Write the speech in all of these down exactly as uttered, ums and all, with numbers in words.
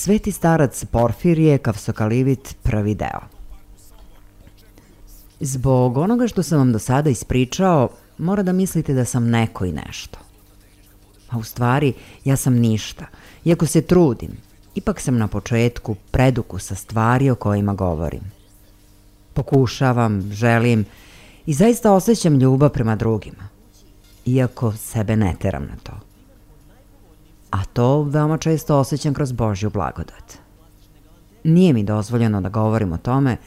Sveti starac Porfirije, Kavsokalivit, prvi deo. Zbog onoga što sam vam do sada ispričao, mora da mislite da sam neko i nešto. A u stvari, ja sam ništa. Iako se trudim, ipak sam na početku predukusa stvari o kojima govorim. Pokušavam, želim i zaista osjećam ljubav prema drugima, iako sebe ne teram na to. A to veoma često osjećam kroz Božju blagodat. Nije mi dozvoljeno da govorim o tome,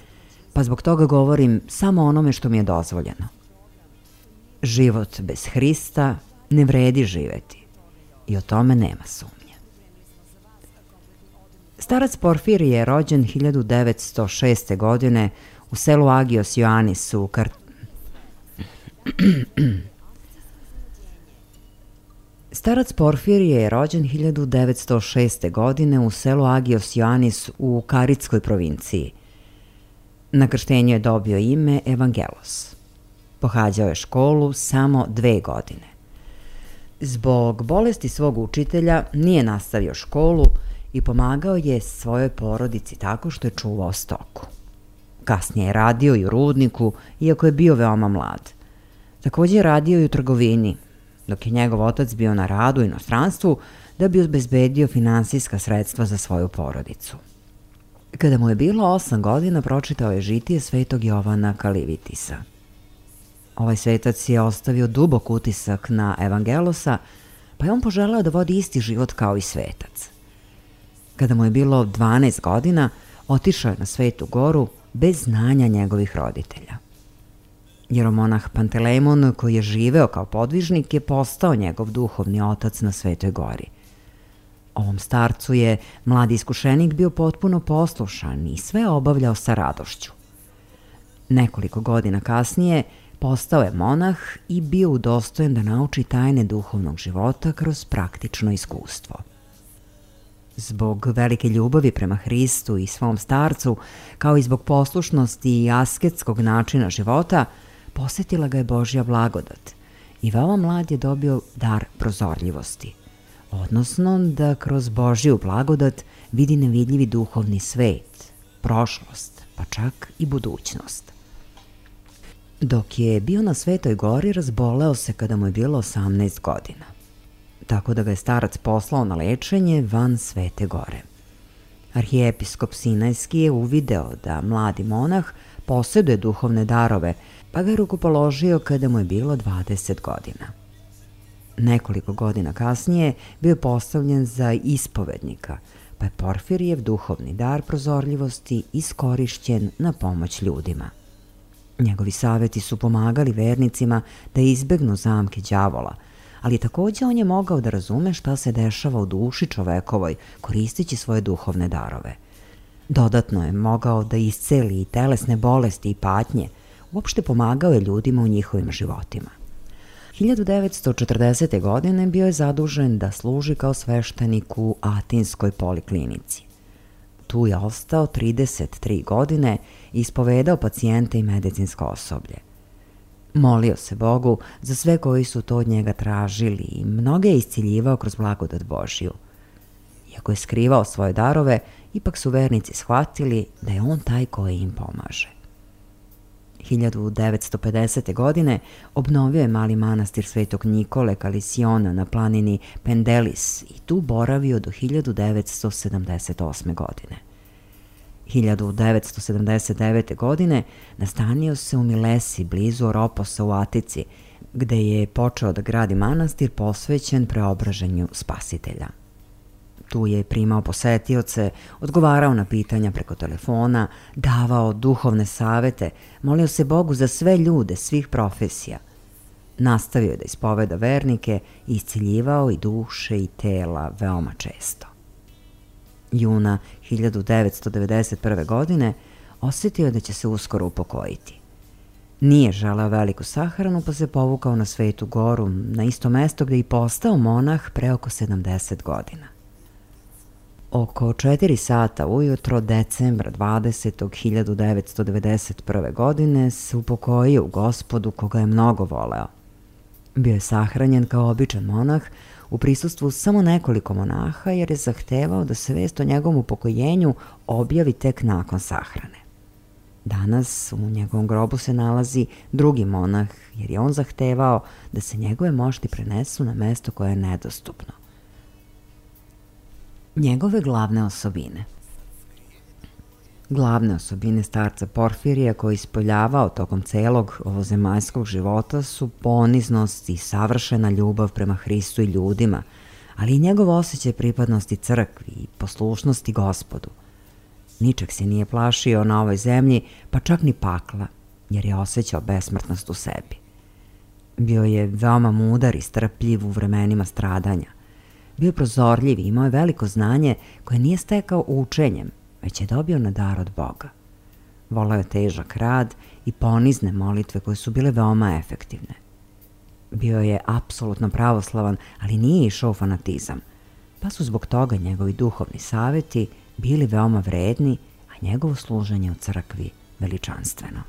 pa zbog toga govorim samo onome što mi je dozvoljeno. Život bez Hrista ne vredi živeti i o tome nema sumnje. Starac Porfirije je rođen hiljadu devetsto šeste. godine u selu Agios Ioannis u Kar... Starac Porfirije je rođen hiljadu devetsto šeste. godine u selu Agios Ioannis u Karitskoj provinciji. Na krštenju je dobio ime Evangelos. Pohađao je školu samo dve godine. Zbog bolesti svog učitelja nije nastavio školu i pomagao je svojoj porodici tako što je čuvao stoku. Kasnije je radio i u rudniku, iako je bio veoma mlad. Također je radio i u trgovini, dok je njegov otac bio na radu u inostranstvu da bi obezbedio finansijska sredstva za svoju porodicu. Kada mu je bilo osam godina, pročitao je žitije svetog Jovana Kalivitisa. Ovaj svetac je ostavio dubok utisak na Evangelosa, pa je on poželeo da vodi isti život kao i svetac. Kada mu je bilo dvanaest godina, otišao je na Svetu goru bez znanja njegovih roditelja. Jeromonah Pantelemon, koji je živeo kao podvižnik, je postao njegov duhovni otac na Svetoj gori. Ovom starcu je mladi iskušenik bio potpuno poslušan i sve obavljao sa radošću. Nekoliko godina kasnije postao je monah i bio udostojen da nauči tajne duhovnog života kroz praktično iskustvo. Zbog velike ljubavi prema Hristu i svom starcu, kao i zbog poslušnosti i asketskog načina života, posjetila ga je Božja blagodat i veoma mlad je dobio dar prozorljivosti. odnosno da kroz Božju blagodat vidi nevidljivi duhovni svet, prošlost, pa čak i budućnost. Dok je bio na Svetoj gori, razboleo se kada mu je bilo osamnaest godina, tako da ga je starac poslao na lečenje van Svete gore. Arhijepiskop Sinajski je uvideo da mladi monah posjeduje duhovne darove, pa ga je rukopoložio kada mu je bilo dvadeset godina. Nekoliko godina kasnije bio je postavljen za ispovednika, pa je Porfirijev duhovni dar prozorljivosti iskorišćen na pomoć ljudima. Njegovi saveti su pomagali vernicima da izbegnu zamke đavola, ali takođe on je mogao da razume šta se dešava u duši čovekovoj koristeći svoje duhovne darove. Dodatno je mogao da isceli i telesne bolesti i patnje, uopšte pomagao je ljudima u njihovim životima. hiljadu devetsto četrdesete. godine bio je zadužen da služi kao sveštenik u Atinskoj poliklinici. Tu je ostao trideset tri godine i ispovedao pacijente i medicinsko osoblje. Molio se Bogu za sve koji su to od njega tražili i mnoge je isciljivao kroz blagodat Božju. Iako je skrivao svoje darove, ipak su vernici shvatili da je on taj koji im pomaže. hiljadu devetsto pedesete. godine obnovio je mali manastir Svetog Nikole Kalisiona na planini Pendelis i tu boravio do hiljadu devetsto sedamdeset osme. godine. hiljadu devetsto sedamdeset devete. godine nastanio se u Milesi, blizu Oroposa u Atici, gde je počeo da gradi manastir posvećen preobraženju Spasitelja. Tu je primao posetioce, odgovarao na pitanja preko telefona, davao duhovne savete, molio se Bogu za sve ljude, svih profesija. Nastavio je da ispoveda vernike i isciljivao i duše i tela veoma često. Juna hiljadu devetsto devedeset prve. godine osjetio je da će se uskoro upokojiti. Nije želeo veliku sahranu, pa se povukao na Svetu goru, na isto mesto gde je i postao monah pre oko sedamdeset godina. Oko četiri sata ujutro decembra dvadesetog hiljadu devetsto devedeset prve. godine se upokojio u Gospodu koga je mnogo voleo. Bio je sahranjen kao običan monah u prisustvu samo nekoliko monaha jer je zahtevao da se vest o njegovom upokojenju objavi tek nakon sahrane. Danas u njegovom grobu se nalazi drugi monah jer je on zahtevao da se njegove mošti prenesu na mesto koje je nedostupno. Njegove glavne osobine. Glavne osobine starca Porfirija koji ispoljavao tokom celog ovozemaljskog života su poniznost i savršena ljubav prema Hristu i ljudima, ali i njegov osjećaj pripadnosti crkvi i poslušnosti Gospodu. Ničeg se nije plašio na ovoj zemlji, pa čak ni pakla, jer je osjećao besmrtnost u sebi. Bio je veoma mudar i strpljiv u vremenima stradanja. Bio je prozorljiv i imao je veliko znanje koje nije stekao učenjem, već je dobio na dar od Boga. Voleo je težak rad i ponizne molitve koje su bile veoma efektivne. Bio je apsolutno pravoslavan, ali nije išao u fanatizam, pa su zbog toga njegovi duhovni saveti bili veoma vredni, a njegovo služenje u crkvi veličanstveno.